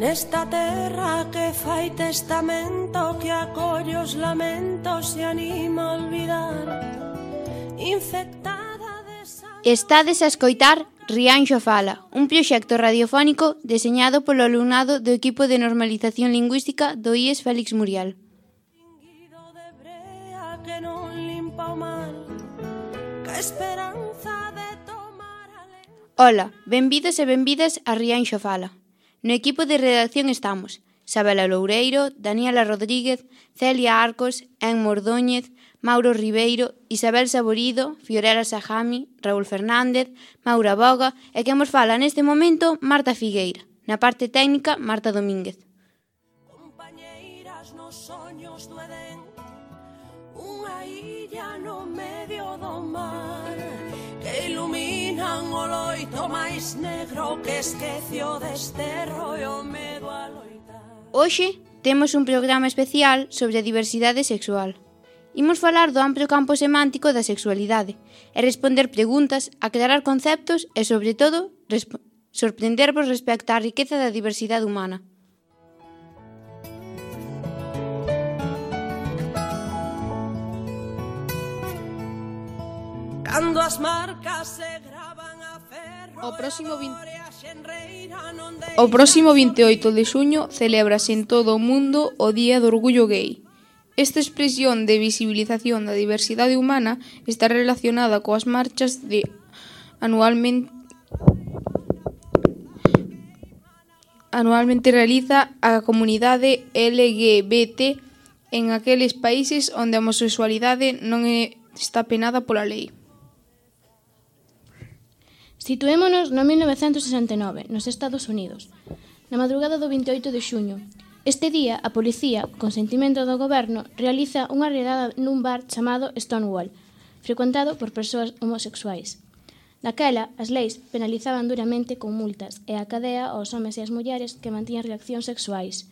Nesta terra que fai testamento, que acolle os lamentos e anima a olvidar, infectada de sangre. Estades a escoitar Rianxo Fala, un proxecto radiofónico deseñado polo alumnado do equipo de normalización lingüística do IES Félix Muriel. De brea que non limpa o mal, que esperanza de tomar Ola, benvidos e benvidas a Rianxo Fala. No equipo de redacción estamos Sabela Loureiro, Daniela Rodríguez, Celia Arcos, En Mordóñez, Mauro Ribeiro, Isabel Saborido, Fiorella Sajami, Raúl Fernández, Maura Boga e que nos fala neste momento Marta Figueira. Na parte técnica, Marta Domínguez. compañeiras nos soños do Edén, unha illa no medio do mar, que iluminan o loito máis negro que esquecio desterro e o medo a loitar. Hoxe temos un programa especial sobre a diversidade sexual. Imos falar do amplo campo semántico da sexualidade e responder preguntas, aclarar conceptos e, sobre todo, sorprendervos respecto á riqueza da diversidade humana. Cando as marcas se gravan a ferro, O próximo 28 de xuño celébrase en todo o mundo o Día do Orgullo Gay. Esta expresión de visibilización da diversidade humana está relacionada coas marchas de anualmente realiza a comunidade LGBT en aqueles países onde a homosexualidade non está penada pola lei. Situémonos no 1969, nos Estados Unidos, na madrugada do 28 de xuño. Este día, a policía, con sentimento do goberno, realiza unha redada nun bar chamado Stonewall, frecuentado por persoas homosexuais. Naquela, as leis penalizaban duramente con multas e a cadea aos homes e as mulleres que mantían reaccións sexuais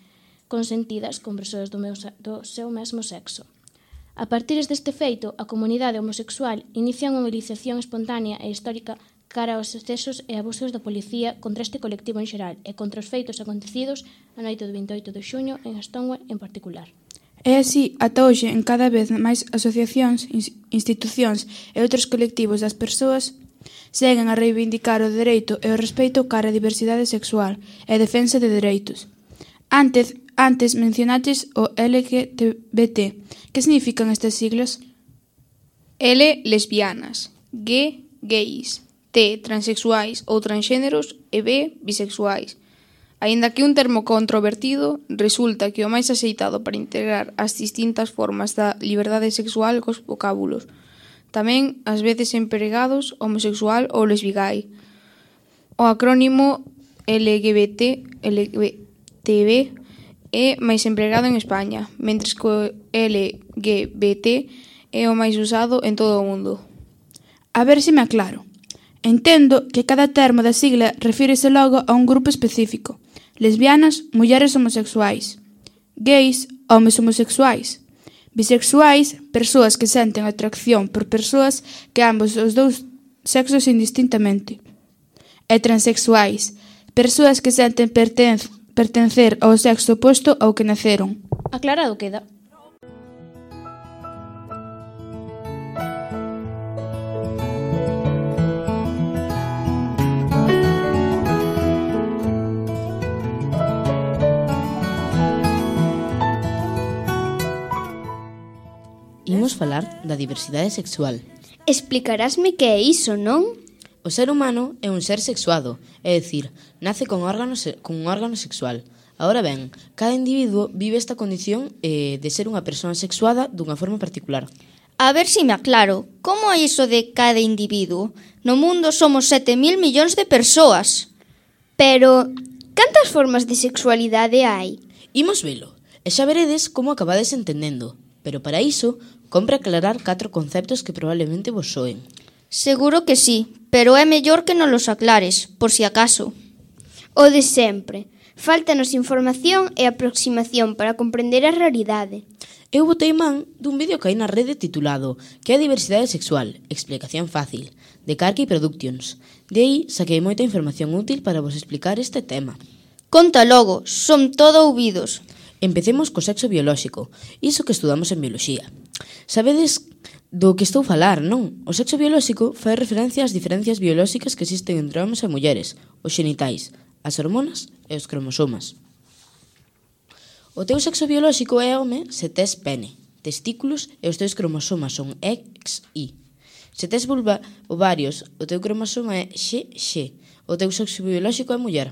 consentidas con persoas do seu mesmo sexo. A partir deste feito, a comunidade homosexual inicia unha movilización espontánea e histórica cara aos excesos e abusos da policía contra este colectivo en xeral e contra os feitos acontecidos a noite do 28 de xuño en Stonewall en particular. É así, ata hoxe, en cada vez máis asociacións, institucións e outros colectivos das persoas seguen a reivindicar o dereito e o respeito cara á diversidade sexual e a defensa de dereitos. Antes mencionaches o LGBT. Que significan estas siglas? L, lesbianas, G, gays, T, transexuais ou transxéneros e B, bisexuais. Aínda que un termo controvertido, resulta que o máis axeitado para integrar as distintas formas da liberdade sexual cos vocábulos. Tamén, ás veces empregados, homosexual ou lesbigay. O acrónimo LGBTB é máis empregado en España, mentres que o LGBT é o máis usado en todo o mundo. A ver se me aclaro. Entendo que cada termo da sigla refírese logo a un grupo específico. Lesbianas, mulleres homosexuais. Gays, homes homosexuais. Bisexuais, persoas que senten atracción por persoas que ambos os dous sexos indistintamente. E transexuais, persoas que senten pertencer ao sexo oposto ao que naceron. Aclarado queda. Imos falar da diversidade sexual. Explicarásme que é iso, non? O ser humano é un ser sexuado, é dicir, nace con un órgano sexual. Ahora ben, cada individuo vive esta condición de ser unha persoa sexuada dunha forma particular. A ver se me aclaro, como é iso de cada individuo? No mundo somos 7.000 millóns de persoas. Pero, cantas formas de sexualidade hai? Imos velo, e xa veredes como acabades entendendo. Pero para iso, compre aclarar 4 conceptos que probablemente vos soen. Seguro que sí, pero é mellor que non los aclares, por si acaso. O de sempre. Fáltanos información e aproximación para comprender a realidade. Eu botei man dun vídeo que hai na rede titulado Que é a diversidade sexual? Explicación fácil, de Carkey Productions. De aí saquei moita información útil para vos explicar este tema. Conta logo, son todo ouvidos. Empecemos co sexo biolóxico, iso que estudamos en bioloxía. Sabedes do que estou a falar, non? O sexo biolóxico fai referencia ás diferencias biolóxicas que existen entre homes e mulleres, os xenitais, as hormonas e os cromosomas. O teu sexo biolóxico é home se tes pene, testículos e os teus cromosomas son X, Y. Se tes vulva, ovarios, o teu cromosoma é XX. O teu sexo biolóxico é muller.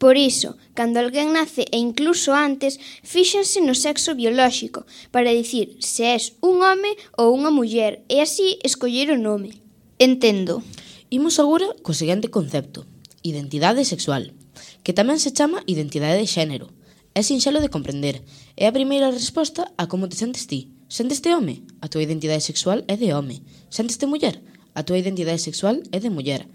Por iso, cando alguén nace e incluso antes, fíxense no sexo biolóxico para dicir se és un home ou unha muller e así escoller o nome. Entendo. Imos agora co seguinte concepto, identidade sexual, que tamén se chama identidade de xénero. É sinxelo de comprender. É a primeira resposta a como te sentes ti. Senteste home? A tua identidade sexual é de home. Senteste muller? A tua identidade sexual é de muller.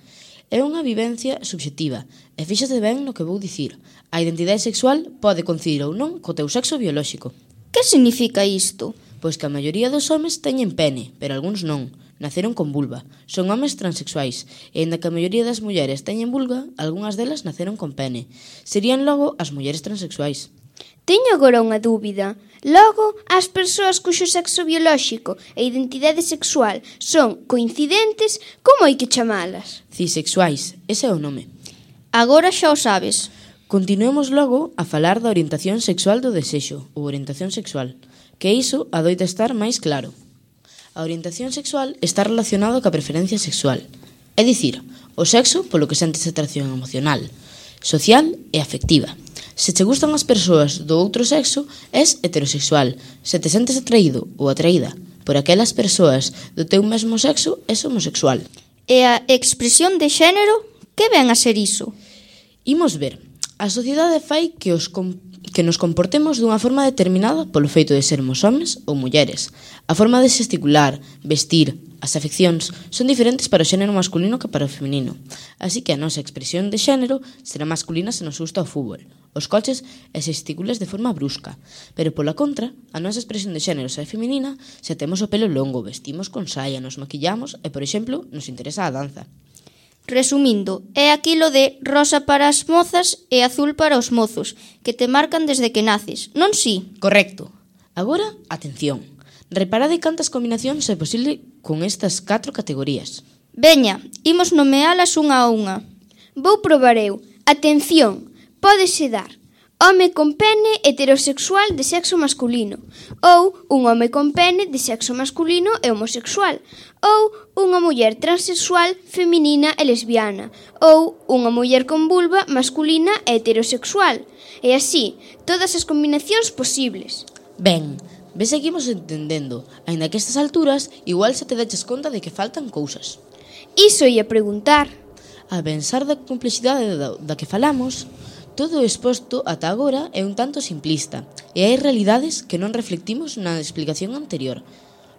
É unha vivencia subxectiva, e fíxate ben no que vou dicir. A identidade sexual pode coincidir ou non co teu sexo biolóxico. Que significa isto? Pois que a maioría dos homes teñen pene, pero algúns non. Naceron con vulva. Son homes transexuais, e aínda que a maioría das mulleres teñen vulva, algunhas delas naceron con pene. Serían logo as mulleres transexuais. Teño agora unha dúbida. Logo, as persoas cuxo sexo biolóxico e identidade sexual son coincidentes, como hai que chamalas? Cisexuais, ese é o nome. Agora xa o sabes. Continuemos logo a falar da orientación sexual do desexo, ou orientación sexual, que iso adoita estar máis claro. A orientación sexual está relacionada coa preferencia sexual, é dicir, o sexo polo que sentes atracción emocional, social e afectiva. Se te gustan as persoas do outro sexo, és heterosexual. Se te sentes atraído ou atraída por aquelas persoas do teu mesmo sexo, és homosexual. E a expresión de xénero, que ven a ser iso? Imos ver. A sociedade fai que nos comportemos dunha forma determinada polo feito de sermos homes ou mulleres. A forma de gesticular, vestir, as afeccións son diferentes para o xénero masculino que para o feminino. Así que a nosa expresión de xénero será masculina se nos gusta o fútbol, os coches e xesticulas de forma brusca. Pero pola contra, a nosa expresión de xénero é feminina se temos o pelo longo, vestimos con saia, nos maquillamos e, por exemplo, nos interesa a danza. Resumindo, é aquilo de rosa para as mozas e azul para os mozos, que te marcan desde que naces, non si? Correcto. Agora, atención. Reparade cantas combinacións é posible con estas 4 categorías. Veña, imos nomealas unha a unha. Vou probar eu. Atención, pódese dar home con pene heterosexual de sexo masculino, ou un home con pene de sexo masculino e homosexual, ou unha muller transexual feminina e lesbiana, ou unha muller con vulva masculina e heterosexual, e así, todas as combinacións posibles. Ben, ves seguimos entendendo, aínda que a estas alturas igual se te deches conta de que faltan cousas. Iso ia preguntar. A pensar da complexidade da que falamos, todo o exposto ata agora é un tanto simplista, e hai realidades que non reflectimos na explicación anterior.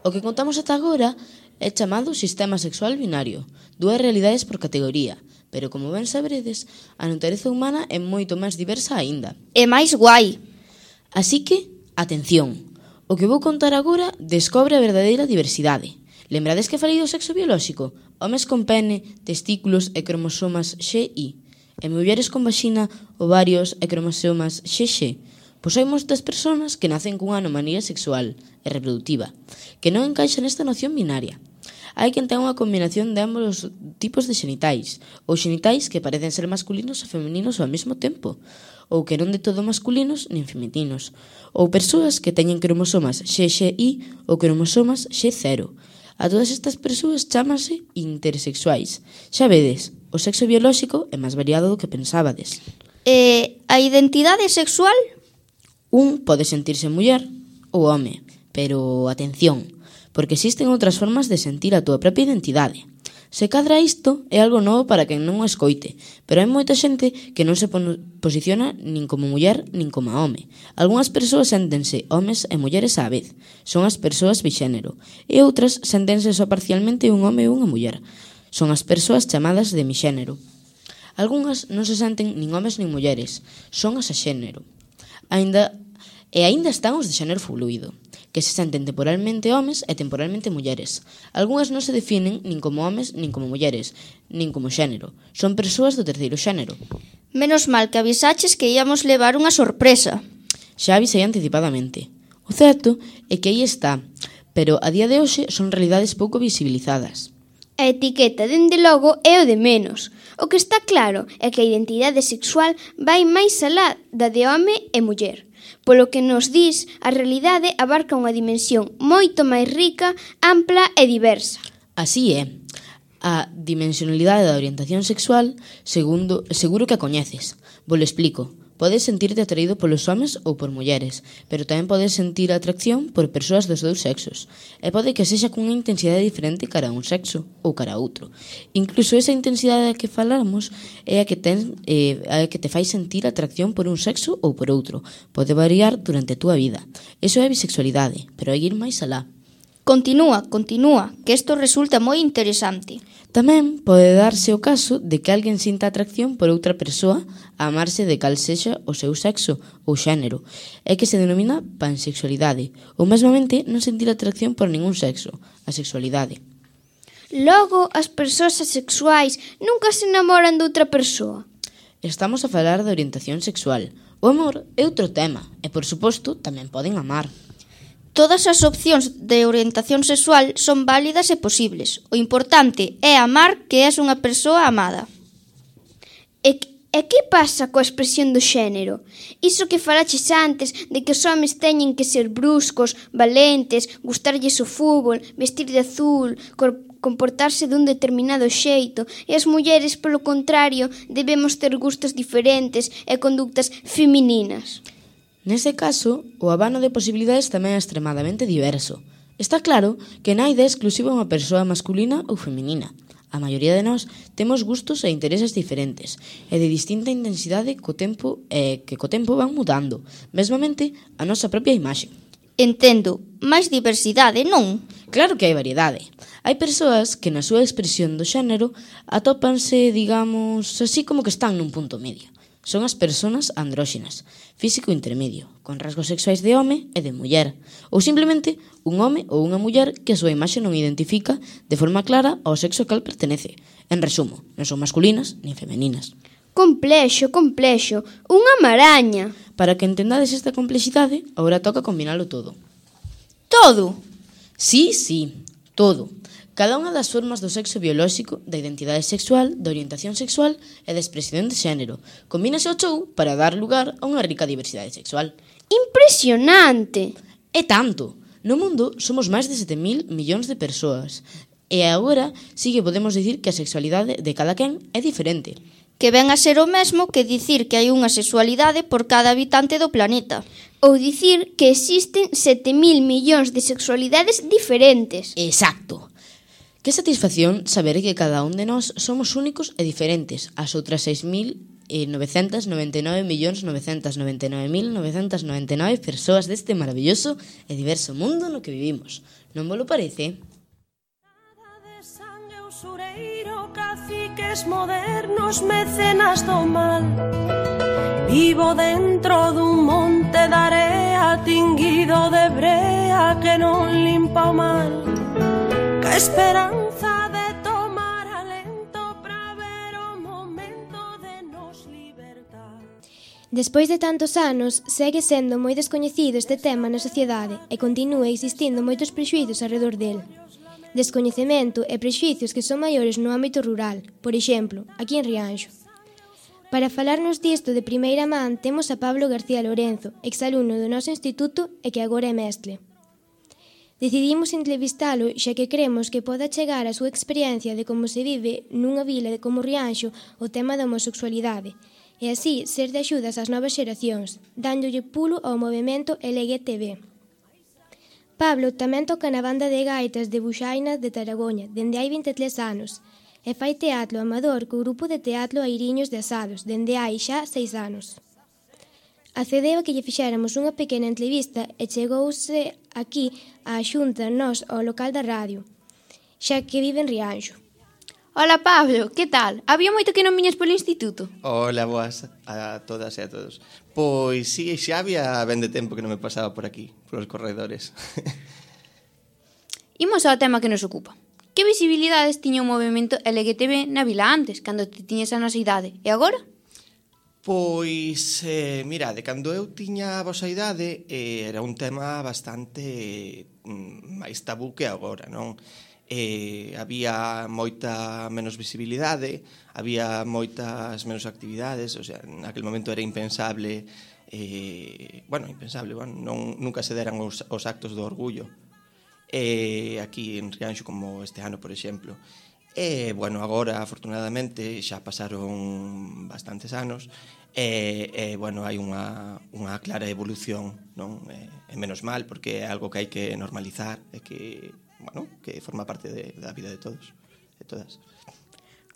O que contamos ata agora é chamado sistema sexual binario, 2 realidades por categoría, pero como ben sabredes, a natureza humana é moito máis diversa aínda. É máis guai. Así que, atención, o que vou contar agora descobre a verdadeira diversidade. Lembrades que falei do sexo biolóxico? Homes con pene, testículos e cromosomas XY. E mulleres con vaxina, ovarios e cromosomas XX. Pois hai moitas persoas que nacen cunha anomalía sexual e reproductiva, que non encaixan nesta noción binaria. Hai quen ten unha combinación de ambos os tipos de xenitais, ou xenitais que parecen ser masculinos e femininos ao mesmo tempo, ou que non de todo masculinos nin femininos, ou persoas que teñen cromosomas XY ou cromosomas X0. A todas estas persoas chámase intersexuais. Xa vedes, o sexo biolóxico é máis variado do que pensábades. E a identidade sexual? Un pode sentirse muller ou home, pero atención, porque existen outras formas de sentir a túa propia identidade. Se cadra isto é algo novo para quen non o escoite, pero hai moita xente que non se posiciona nin como muller nin como home. Algúnas persoas séntense homes e mulleres á vez, son as persoas bixénero, e outras séntense só parcialmente un home e unha muller, son as persoas chamadas de mixénero. Algúnas non se senten nin homes nin mulleres, son as axénero. Aínda están os de xénero fluido, que se senten temporalmente homes e temporalmente mulleres. Algunhas non se definen nin como homes, nin como mulleres, nin como xénero. Son persoas do terceiro xénero. Menos mal que avisaches que íamos levar unha sorpresa. Xa avisei anticipadamente. O certo é que aí está, pero a día de hoxe son realidades pouco visibilizadas. A etiqueta, dende logo, é o de menos. O que está claro é que a identidade sexual vai máis alá da de home e muller. Polo que nos dis, a realidade abarca unha dimensión moito máis rica, ampla e diversa. Así é. A dimensionalidade da orientación sexual, seguro que a coñeces. Vos lo explico. Podes sentirte atraído polos homes ou por mulleres, pero tamén podes sentir atracción por persoas dos dous sexos. E pode que sexa cunha intensidade diferente cara a un sexo ou cara a outro. Incluso esa intensidade a que falamos é a que te fai sentir atracción por un sexo ou por outro. Pode variar durante a túa vida. Eso é bisexualidade, pero hai que ir máis alá. Continúa, que isto resulta moi interesante. Tamén pode darse o caso de que alguén sinta atracción por outra persoa a amarse de cal sexa o seu sexo ou xénero, é que se denomina pansexualidade, ou mesmamente non sentir atracción por ningún sexo, a sexualidade. Logo, as persoas asexuais nunca se enamoran de outra persoa. Estamos a falar de orientación sexual. O amor é outro tema, e por suposto tamén poden amar. Todas as opcións de orientación sexual son válidas e posibles. O importante é amar que és unha persoa amada. E que pasa coa expresión do xénero? Iso que falaches antes de que os homes teñen que ser bruscos, valentes, gustarlles o fútbol, vestir de azul, comportarse dun determinado xeito, e as mulleres, polo contrario, debemos ter gustos diferentes e conductas femininas. Nese caso, o abano de posibilidades tamén é extremadamente diverso. Está claro que non hai idea exclusiva unha persoa masculina ou feminina. A maioría de nós temos gustos e intereses diferentes e de distinta intensidade que co tempo van mudando, mesmamente a nosa propia imaxe. Entendo, máis diversidade, non? Claro que hai variedade. Hai persoas que na súa expresión do xénero atópanse, digamos, así como que están nun punto medio. Son as persoas andróxinas, físico intermedio, con rasgos sexuais de home e de muller, ou simplemente un home ou unha muller que a súa imaxe non identifica de forma clara ao sexo ao cal pertenece. En resumo, non son masculinas nin femeninas. Complexo, unha maraña. Para que entendades esta complexidade, agora toca combinalo todo. Todo? Sí, todo. Cada unha das formas do sexo biolóxico, da identidade sexual, da orientación sexual e da expresión de xénero. Combínase o chou para dar lugar a unha rica diversidade sexual. Impresionante! É tanto! No mundo somos máis de 7.000 millóns de persoas. E agora sí que podemos dicir que a sexualidade de cada quen é diferente. Que ven a ser o mesmo que dicir que hai unha sexualidade por cada habitante do planeta. Ou dicir que existen 7.000 millóns de sexualidades diferentes. Exacto! Que satisfacción saber que cada un de nós somos únicos e diferentes ás outras 6.999.999.999 persoas deste maravilloso e diverso mundo no que vivimos. Non vos lo parece? Usureiro, caciques modernos, mecenas do mal. Vivo dentro dun monte de area tinguido de brea que non limpa o mal. Que esperanza de tomar alento para ver o momento de nos libertar. Despois de tantos anos, segue sendo moi descoñecido este tema na sociedade e continúa existindo moitos prexuízos alrededor del. Descoñecemento e prexuízos que son maiores no ámbito rural, por exemplo, aquí en Rianxo. Para falarnos disto de primeira man temos a Pablo García Lorenzo, exalumno do noso instituto e que agora é mestre. Decidimos entrevistalo xa que cremos que poda chegar a súa experiencia de como se vive nunha vila de como Rianxo o tema da homosexualidade e así ser de axudas ás novas xeracións, dándolle pulo ao movimento LGTB. Pablo tamén toca na banda de gaitas de Buxaina de Taragoña dende hai 23 anos e fai teatro amador co grupo de teatro Airiños de Asados dende hai xa 6 anos. Accedeu a que lle fixéramos unha pequena entrevista e chegouse aquí á Xunta nos ao local da radio, xa que vive en Rianxo. Hola, Pablo, que tal? Había moito que non viñas polo instituto? Hola, boas a todas e a todos. Pois sí, xa había ben de tempo que non me pasaba por aquí, polos corredores. Imos ao tema que nos ocupa. Que visibilidades tiña o movimento LGTB na vila antes, cando te tiñes a nosa idade? E agora? Pois, mirade, cando eu tiña a vosa idade era un tema bastante máis tabú que agora, non? Había moita menos visibilidade, había moitas menos actividades, o sea, naquele momento era impensable, nunca se deran os actos do orgullo, aquí en Rianxo como este ano, por exemplo. Agora, afortunadamente, xa pasaron bastantes anos, hai unha clara evolución, non? É menos mal, porque é algo que hai que normalizar, e que forma parte da vida de todos, de todas.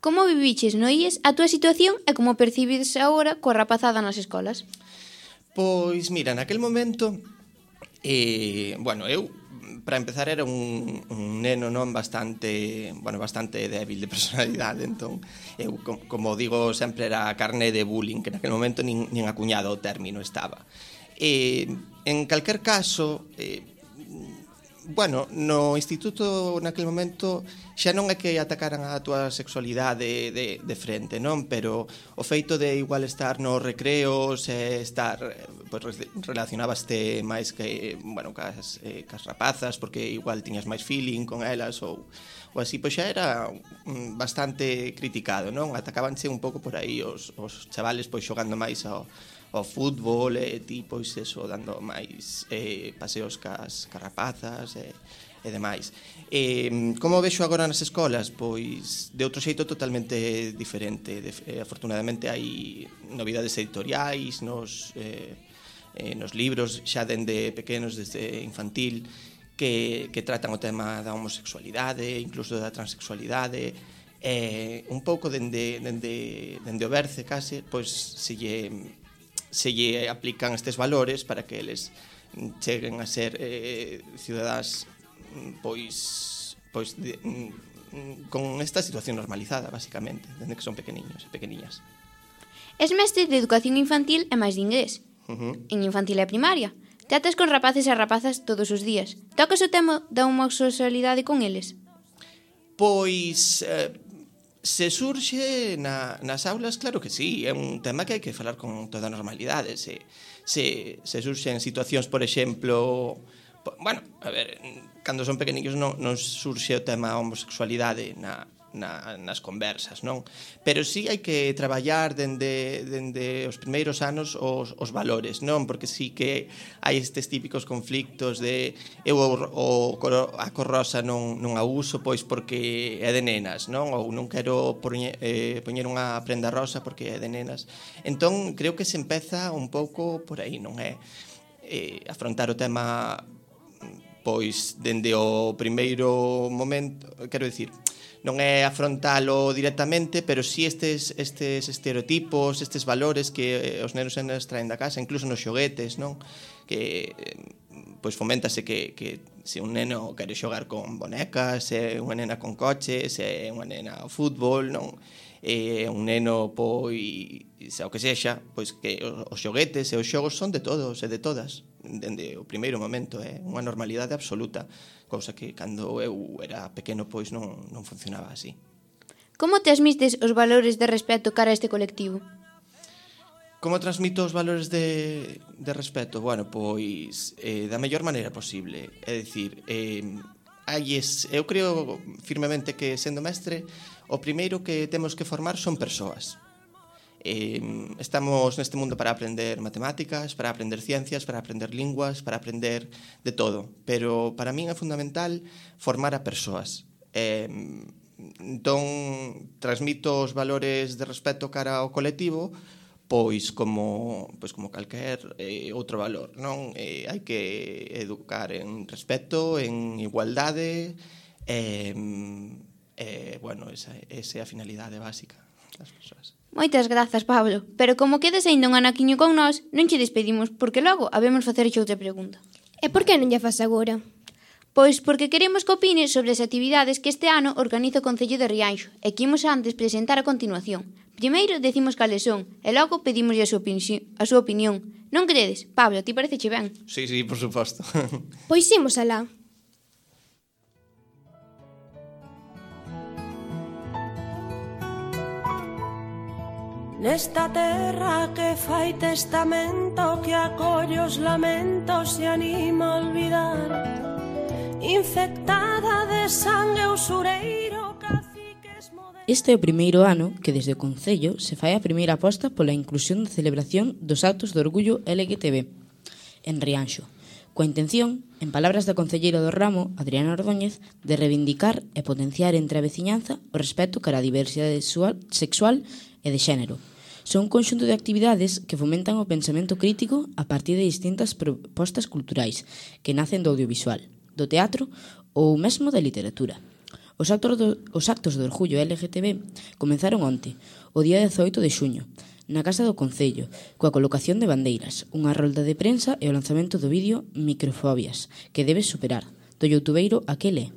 Como viviches no IES a túa situación e como percibes agora coa rapazada nas escolas? Pois, mira, naquel momento, eu, para empezar, era un neno non bastante débil de personalidade, entón, eu, como digo, sempre era carne de bullying, que naquel momento nin acuñado o término estaba. En calquer caso, no instituto naquele momento xa non é que atacaran a túa sexualidade de frente, non? Pero o feito de igual estar nos recreos e estar, relacionabaste máis que, cas rapazas, porque igual tiñas máis feeling con elas ou así, pois xa era bastante criticado, non? Atacabanse un pouco por aí os chavales pois xogando máis ao fútbol e pois eso, dando máis paseos cas rapazas e demais. Como vexo agora nas escolas? Pois de outro xeito totalmente diferente. Afortunadamente hai novidades editoriais nos libros, xa dende pequenos, desde infantil, que tratan o tema da homosexualidade, incluso da transexualidade, un pouco dende o berce case, pois se lle aplican estes valores para que eles cheguen a ser cidadáns con esta situación normalizada, basicamente, dende que son pequeniños e pequeniñas. Es mestre de educación infantil e máis de inglés. En infantil e primaria. Tratas con rapaces e rapazas todos os días. Tocas o tema da homosexualidade con eles? Pois, se surxe nas aulas, claro que sí, é un tema que hai que falar con toda normalidade. Se surxe en situacións, por exemplo, cando son pequeniños non surxe o tema homosexualidade nas conversas, non? Pero sí hai que traballar dende os primeiros anos os valores, non? Porque sí que hai estes típicos conflictos de eu a cor rosa non a uso pois porque é de nenas, non? Ou non quero poñer unha prenda rosa porque é de nenas. Entón, creo que se empeza un pouco por aí, non é? Afrontar o tema pois dende o primeiro momento, quero dicir, non é afrontalo directamente, pero sí estes estereotipos, estes valores que os nenos e nenas traen da casa, incluso nos xoguetes, non? Que pois foméntase que se un neno quere xogar con bonecas, se unha nena con coches, se unha nena ao fútbol, non? Un neno, pois, o que sexa, pois que os xoguetes e os xogos son de todos e de todas, dende o primeiro momento, é unha normalidade absoluta, cousa que cando eu era pequeno pois non funcionaba así. Como transmites os valores de respeto cara a este colectivo? Como transmito os valores de respeto? Bueno, pois da mellor maneira posible. É dicir, eu creo firmemente que, sendo mestre, o primeiro que temos que formar son persoas. Estamos neste mundo para aprender matemáticas, para aprender ciencias, para aprender linguas, para aprender de todo. Pero para min é fundamental formar a persoas. Entón, transmito os valores de respeto cara ao colectivo, pois como calquer outro valor, non? Hai que educar en respeto, en igualdade, esa é a finalidade básica das persoas. Moitas grazas, Pablo, pero como quedes aínda un anaquiño con nós, non che despedimos, porque logo habemos facerche outra pregunta. E por que non lla fas agora? Pois porque queremos que opine sobre as actividades que este ano organiza o Concello de Rianxo e que imos antes presentar a continuación. Primeiro decimos cales son e logo pedimoslle a súa opinión. Non credes? Pablo, ti pareceche ben? Sí, por suposto. Pois imos alá. Nesta terra que fai testamento, que acolle os lamentos e anima a olvidar, infectada de sangue usureiro, caciques modernos. Este é o primeiro ano que desde o Concello se fai a primeira aposta pola inclusión da celebración dos actos de orgullo LGTB en Rianxo, coa intención, en palabras da concelleira do ramo, Adriana Ordóñez, de reivindicar e potenciar entre a veciñanza o respeto cara á diversidade sexual e de xénero. Son un conxunto de actividades que fomentan o pensamento crítico a partir de distintas propostas culturais que nacen do audiovisual, do teatro ou mesmo da literatura. Os actos do orgullo LGTB comenzaron onte, o día 18 de xuño, na Casa do Concello, coa colocación de bandeiras, unha rolda de prensa e o lanzamento do vídeo Microfobias, que debes superar, do youtubeiro Aquele.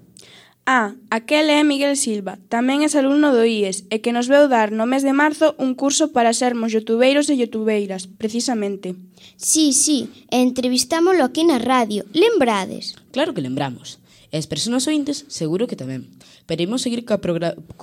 Aquel é Miguel Silva, tamén é alumno do IES e que nos veu dar no mes de marzo un curso para sermos youtubeiros e youtubeiras, precisamente. Sí, e entrevistámoslo aquí na radio, lembrades? Claro que lembramos. E as persoas ointes seguro que tamén. Pero imos seguir co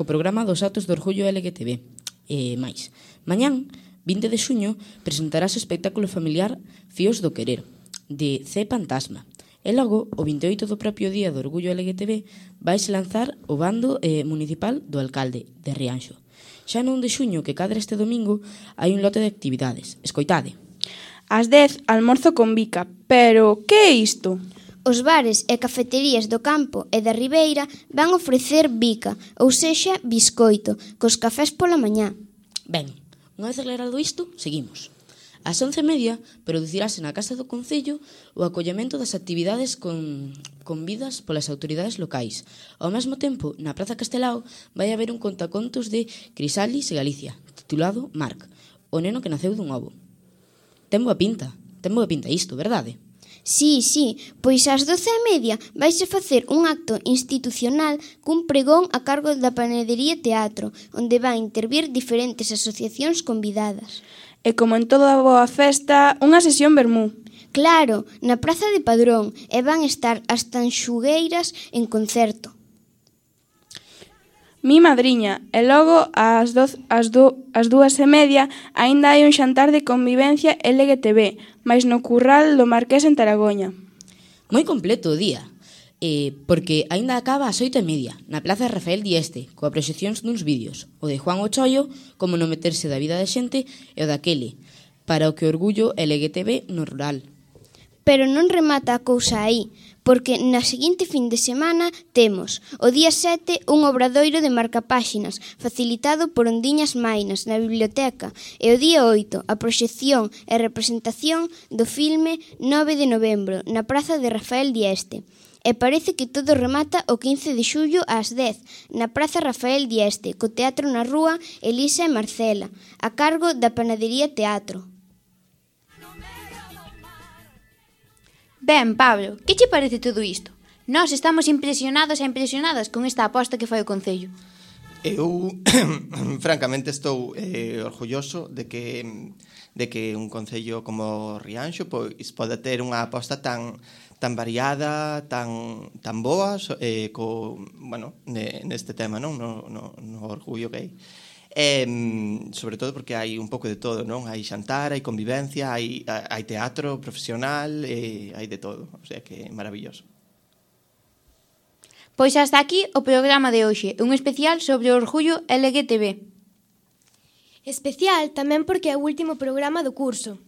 programa dos actos do orgullo LGTB. E máis, mañán, 20 de xuño, presentarás o espectáculo familiar Fíos do Querer, de C. Fantasma. E logo, o 28 do propio día do Orgullo LGTB, vais lanzar o bando municipal do alcalde de Rianxo. Xa no 1 de xuño, que cadra este domingo, hai un lote de actividades. Escoitade. Ás 10, almorzo con bica. Pero, que é isto? Os bares e cafeterías do campo e da Ribeira van ofrecer bica, ou sexa, biscoito, cos cafés pola mañá. Ben, unha vez aclarado isto, seguimos. Ás 11:30 producirase na Casa do Concello o acollemento das actividades convidas polas autoridades locais. Ao mesmo tempo, na Praza Castelao vai haber un contacontos de Crisalis e Galicia, titulado Marc, o neno que naceu dun ovo. Ten boa pinta isto, verdade? Sí, pois ás 12:30 vaise facer un acto institucional cun pregón a cargo da Panadería Teatro, onde van intervir diferentes asociacións convidadas. E como en toda boa festa, unha sesión vermú. Claro, na Praza de Padrón, e van estar as tanxugueiras en concerto. Mi madriña, e logo ás 2:30 aínda hai un xantar de convivencia LGTB, máis no Curral do Marqués en Taragoña. Moi completo o día, porque aínda acaba ás 8:30 na Plaza Rafael Dieste, coa proxeccións duns vídeos, o de Juan Ochollo, como non meterse da vida da xente, e o daquele, para o que orgullo LGTB no rural. Pero non remata a cousa aí, porque na seguinte fin de semana temos o día 7 un obradoiro de marcapáxinas facilitado por Ondiñas Mainas na biblioteca e o día 8 a proxección e representación do filme 9 de novembro na Praza de Rafael Dieste. E parece que todo remata o 15 de xullo ás 10 na Praza Rafael Dieste co teatro na rúa Elisa e Marcela a cargo da Panadería Teatro. Ben, Pablo, que che parece todo isto? Nós estamos impresionados e impresionadas con esta aposta que fai o Concello. Eu, francamente, estou orgulloso de que un concello como Rianxo pois pode ter unha aposta tan variada, tan boa neste tema, non? No orgullo gay. Sobre todo porque hai un pouco de todo, non? Hai xantar, hai convivencia, hai teatro profesional, hai de todo, o sea que é maravilloso. Pois hasta aquí o programa de hoxe, un especial sobre o orgullo LGTB. Especial tamén porque é o último programa do curso.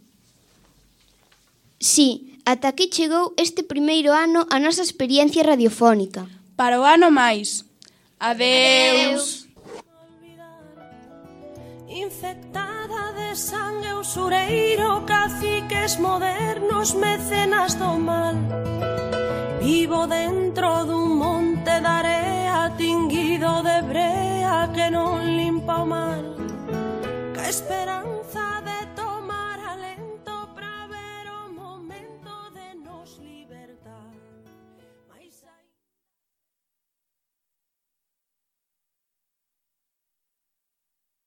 Sí, ata aquí chegou este primeiro ano a nosa experiencia radiofónica. Para o ano máis. Adeus. Infectada de sangue usureiro, caciques modernos, mecenas do mal. Vivo dentro dun monte de area tinguido de brea que non limpa o mar. Que esperanza de